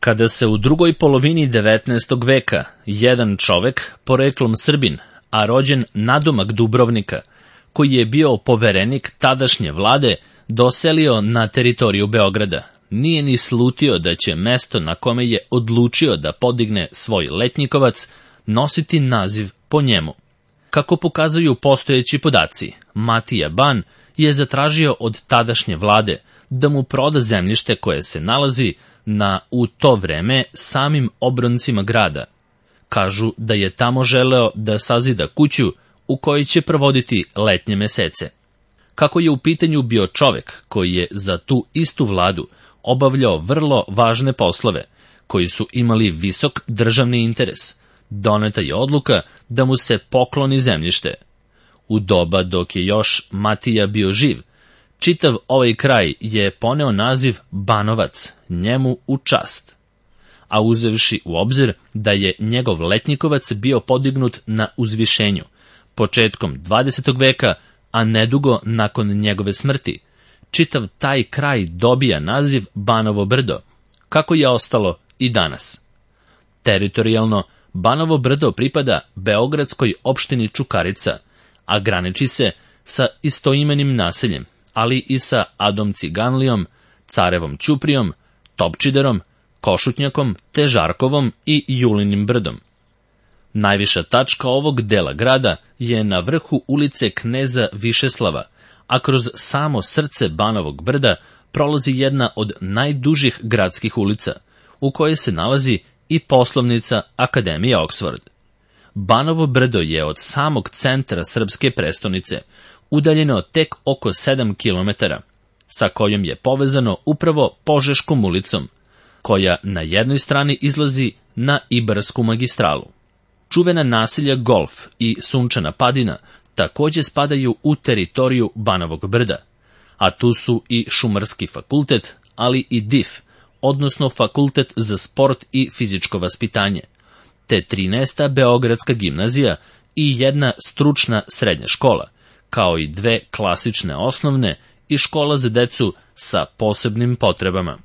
Kada se u drugoj polovini 19. veka jedan čovek, poreklom Srbin, a rođen nadomak Dubrovnika, koji je bio poverenik tadašnje vlade, doselio na teritoriju Beograda, nije ni slutio da će mesto na kome je odlučio da podigne svoj letnjikovac nositi naziv po njemu. Kako pokazuju postojeći podaci, Matija Ban je zatražio od tadašnje vlade da mu proda zemljište koje se nalazi na, u to vreme, samim obroncima grada. Kažu da je tamo želeo da sazida kuću u kojoj će provoditi letnje mesece. Kako je u pitanju bio čovek koji je za tu istu vladu obavljao vrlo važne poslove, koji su imali visok državni interes, doneta je odluka da mu se pokloni zemljište. U doba dok je još Matija bio živ, čitav ovaj kraj je poneo naziv Banovac, njemu u čast. A uzevši u obzir da je njegov letnjikovac bio podignut na uzvišenju, početkom 20. veka, a nedugo nakon njegove smrti, čitav taj kraj dobija naziv Banovo Brdo, kako je ostalo i danas. Teritorijalno, Banovo Brdo pripada beogradskoj opštini Čukarica, a graniči se sa istoimenim naseljem, ali i sa Adom Ciganlijom, Carevom Ćuprijom, Topčiderom, Košutnjakom te Žarkovom i Julinim Brdom. Najviša tačka ovog dela grada je na vrhu ulice Kneza Višeslava, a kroz samo srce Banovog Brda prolazi jedna od najdužih gradskih ulica, u kojoj se nalazi i poslovnica Akademije Oxford. Banovo Brdo je od samog centra srpske prestonice udaljeno tek oko 7 km, sa kojom je povezano upravo Požeškom ulicom, koja na jednoj strani izlazi na Ibarsku magistralu. Čuvena naselja Golf i Sunčana Padina takođe spadaju u teritoriju Banovog Brda, a tu su i Šumarski fakultet, ali i DIF, odnosno Fakultet za sport i fizičko vaspitanje, te 13. Beogradska gimnazija i jedna stručna srednja škola, kao i 2 klasične osnovne i škola za decu sa posebnim potrebama.